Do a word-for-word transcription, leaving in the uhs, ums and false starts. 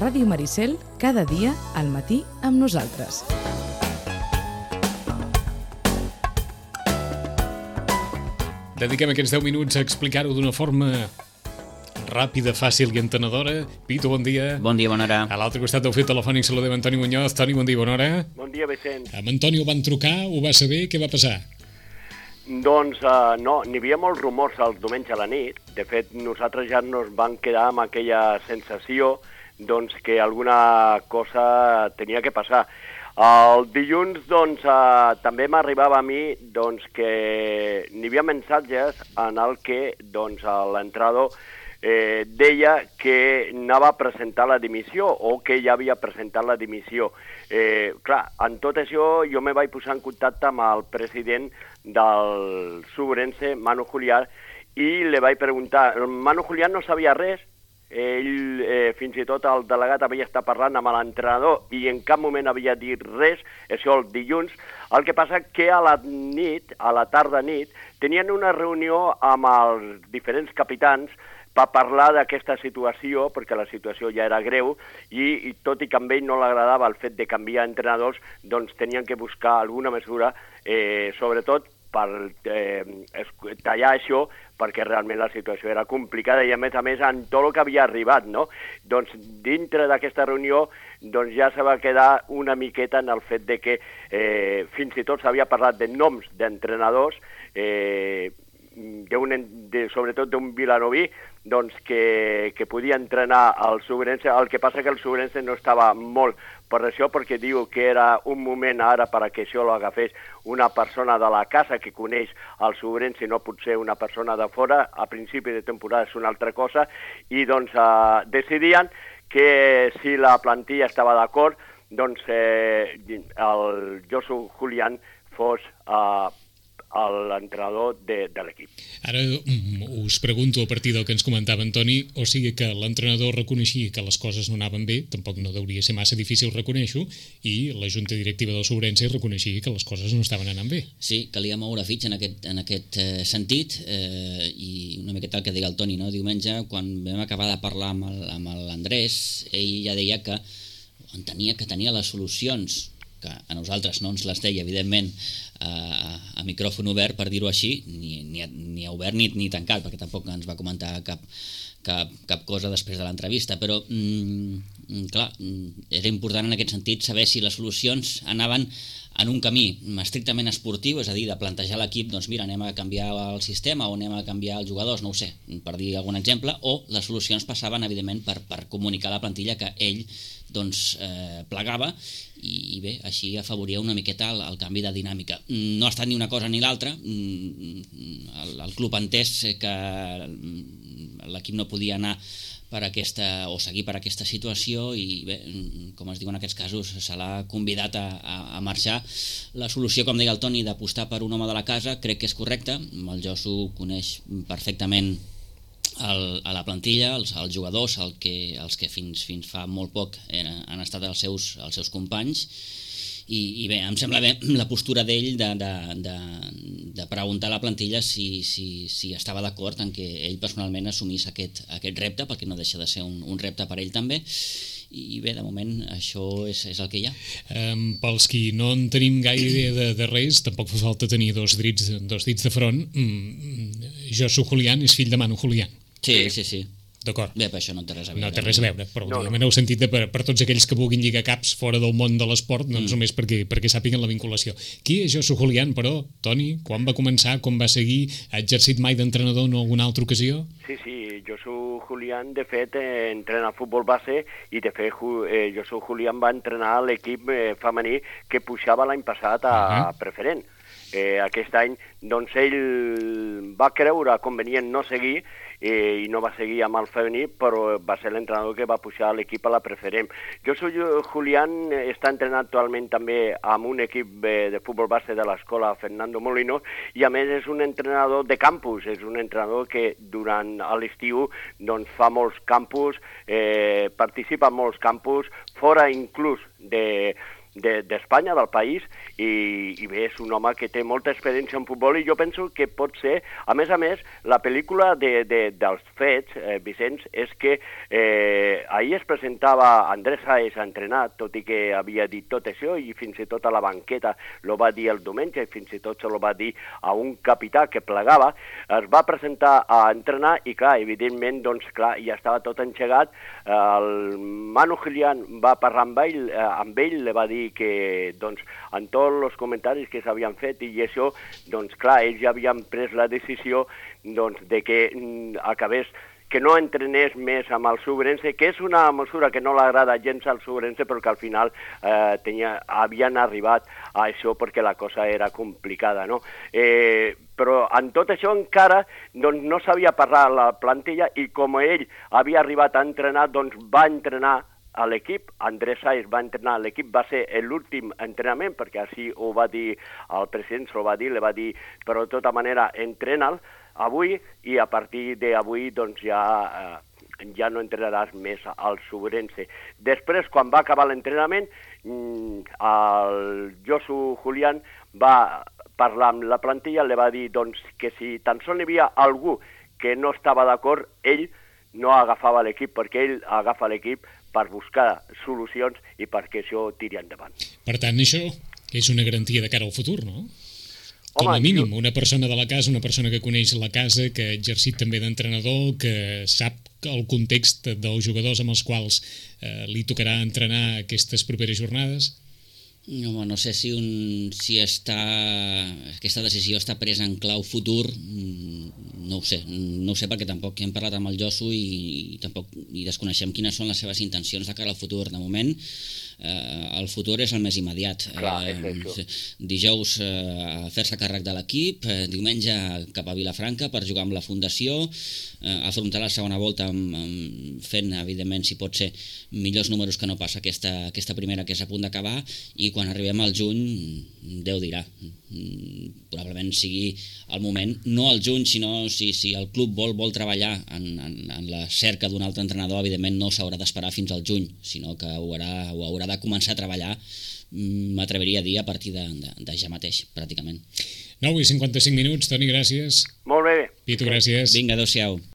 Ràdio Maricel, cada dia al matí amb nosaltres. Dediquem aquests deu minuts a explicar-ho d'una forma ràpida, fàcil i entenedora. Pitu, bon dia. Bon dia, bona hora. A l'altre costat del fil telefònic saludem Antoni Muñoz. Toni, bon dia, bona hora. Bon dia, Vicent. Amb Antoni ho van trucar, ho va saber, què va passar? Doncs uh, no, n'hi havia molts rumors el diumenge a la nit. De fet, nosaltres ja nos vam quedar amb aquella sensació doncs, que alguna cosa tenia que passar. El dilluns doncs, uh, també m'arribava a mi doncs, que n'hi havia missatges en el que doncs, l'entrenador eh, deia que anava a presentar la dimissió o que ja havia presentat la dimissió. Eh, clar, en tot això jo me vaig posar en contacte amb el president del Subrense, Manu Julián, i li vaig preguntar. Manu Julián no sabia res, ell, eh, fins i tot el delegat havia estat parlant amb l'entrenador i en cap moment havia dit res, això el dilluns. El que passa que a la nit, a la tarda nit, tenien una reunió amb els diferents capitans per parlar d'aquesta situació, perquè la situació ja era greu, i, i tot i que a ell no l'agradava el fet de canviar entrenadors, doncs tenien que buscar alguna mesura, eh, sobretot per eh, tallar això, perquè realment la situació era complicada i a més a més en tot el que havia arribat, no? Doncs dintre d'aquesta reunió doncs ja se va quedar una miqueta en el fet de que eh, fins i tot s'havia parlat de noms d'entrenadors, eh, de, sobretot d'un vilanoví, doncs que, que podia entrenar el Subrense. El que passa que el Subrense no estava molt per això, perquè diu que era un moment ara per a que això l'agafés una persona de la casa que coneix el Subrense, no pot ser una persona de fora. A principi de temporada és una altra cosa, i doncs eh, decidien que si la plantilla estava d'acord, doncs eh, el Josu Julián fos eh, l'entrenador de, de l'equip. Ara us pregunto a partir del que ens comentava Antoni, o sigui que l'entrenador reconeixia que les coses no anaven bé, tampoc no hauria ser massa difícil reconèixer-ho, i la junta directiva del Subrense reconeixia que les coses no estaven anant bé. Sí, calia moure fitxa en aquest, en aquest eh, sentit, eh, i una miqueta el que deia el Toni, no? Diumenge, quan vam acabar de parlar amb el, amb l'Andrés, ell ja deia que entenia que tenia les solucions, que a nosaltres no ens les deia, evidentment, a, a micròfon obert, per dir-ho així, ni, ni, ni obert ni, ni tancat, perquè tampoc ens va comentar cap, cap, cap cosa després de l'entrevista, però mm, clar, era important en aquest sentit saber si les solucions anaven en un camí estrictament esportiu, és a dir, de plantejar l'equip, doncs mira, anem a canviar el sistema o anem a canviar els jugadors, no ho sé, per dir algun exemple, o les solucions passaven, evidentment, per, per comunicar a la plantilla que ell doncs, eh, plegava, i, i bé, així afavoria una miqueta el, el canvi de dinàmica. No ha estat ni una cosa ni l'altra, el, el club ha entès que l'equip no podia anar per aquesta, o seguir per aquesta situació, i bé, com es diu en aquests casos, se l'ha convidat a, a, a marxar. La solució, com deia el Toni, d'apostar per un home de la casa, crec que és correcta. El Josu coneix perfectament el, a la plantilla, els, els jugadors, el que, els que fins, fins fa molt poc eren, han estat els seus, els seus companys, i, i bé, em sembla bé la postura d'ell de, de, de, de preguntar a la plantilla si, si, si estava d'acord en que ell personalment assumís aquest, aquest repte, perquè no deixa de ser un, un repte per ell també, i bé, de moment això és, és el que hi ha. Um, pels qui no en tenim gaire idea de, de res, tampoc fa falta tenir dos dits, dos dits de front. Mm, Josu Julián és fill de Manu Julián. Sí, sí, sí. D'acord. Bé, però això no té res a veure. No té res a veure, però no, no. no. Heu sentit de, per, per tots aquells que vulguin lligar caps fora del món de l'esport, doncs mm. només perquè, perquè sàpiguen la vinculació. Qui és Josu Julián, però, Toni? Quan va començar? Com va seguir? Ha exercit mai d'entrenador en alguna altra ocasió? Sí, sí, Josu Julián, de fet, eh, entrena futbol base, i de fet eh, Josu Julián va entrenar l'equip eh, femení que pujava l'any passat a uh-huh. preferent. Eh, aquest any, doncs ell va creure convenient no seguir, eh, i no va seguir amb el femení, però va ser l'entrenador que va pujar l'equip a la preferent. Josu Julián està entrenant actualment també amb un equip eh, de futbol base de l'escola Fernando Molino, i a més és un entrenador de campus, és un entrenador que durant l'estiu doncs, fa molts campus, eh, participa en molts campus, fora inclús de d'Espanya, del país, i, i bé, és un home que té molta experiència en futbol i jo penso que pot ser, a més a més, la pel·lícula de, de, dels fets, eh, Vicenç, és que eh, ahir es presentava Andrés Sáez entrenat, tot i que havia dit tot això i fins i tot a la banqueta lo va dir el diumenge i fins i tot se lo va dir a un capità que plegava, es va presentar a entrenar i clar, evidentment, doncs clar, ja estava tot engegat, el Manu Gilián va parlar amb ell, eh, amb ell li va dir que, doncs, en tots els comentaris que s'havien fet i això, doncs, clar, ells ja havien pres la decisió, doncs, de que mm, acabés, que no entrenés més amb el Subrense, que és una mesura que no l'agrada gens al Subrense, però que al final eh, tenia, havien arribat a això perquè la cosa era complicada, no? Eh, però en tot això encara doncs, no sabia parlar la plantilla i com ell havia arribat a entrenar, doncs va entrenar a l'equip, Andrés Sáez va entrenar a l'equip, va ser l'últim entrenament, perquè així ho va dir el president, s'ho va dir, li va dir, però de tota manera, entrena'l avui i a partir d'avui doncs ja, eh, ja no entrenaràs més al Subrense. Després, quan va acabar l'entrenament, el Josu Julián va parlar amb la plantilla, li va dir doncs, que si tan sols hi havia algú que no estava d'acord, ell no agafava l'equip, perquè ell agafa l'equip per buscar solucions i perquè això tiri endavant. Per tant, això és una garantia de cara al futur, no? Com a Home, mínim, jo... una persona de la casa, una persona que coneix la casa, que ha exercit també d'entrenador, que sap el context dels jugadors amb els quals eh, li tocarà entrenar aquestes properes jornades. No, no sé si, un, si està, aquesta decisió està presa en clau futur, no ho sé, no ho sé perquè tampoc hem parlat amb el Josu i, i tampoc i desconeixem quines són les seves intencions de cara al futur. De moment, eh, el futur és el més immediat. Clar, eh, dijous eh, fer-se càrrec de l'equip, eh, diumenge cap a Vilafranca per jugar amb la Fundació, eh, afrontar la segona volta amb, amb, fent, evidentment, si pot ser, millors números que no passa aquesta, aquesta primera que és a punt d'acabar, i quan arribem al juny, Déu dirà, probablement sigui el moment, no al juny, sinó si, si el club vol, vol treballar en, en, en la cerca d'un altre entrenador, evidentment no s'haurà d'esperar fins al juny, sinó que ho haurà, ho haurà de començar a treballar, m'atreviria a dir, a partir de, de, de ja mateix, pràcticament. nou i cinquanta-cinc minuts, Toni, gràcies. Molt bé. Pitu, gràcies. Vinga, adéu-siau.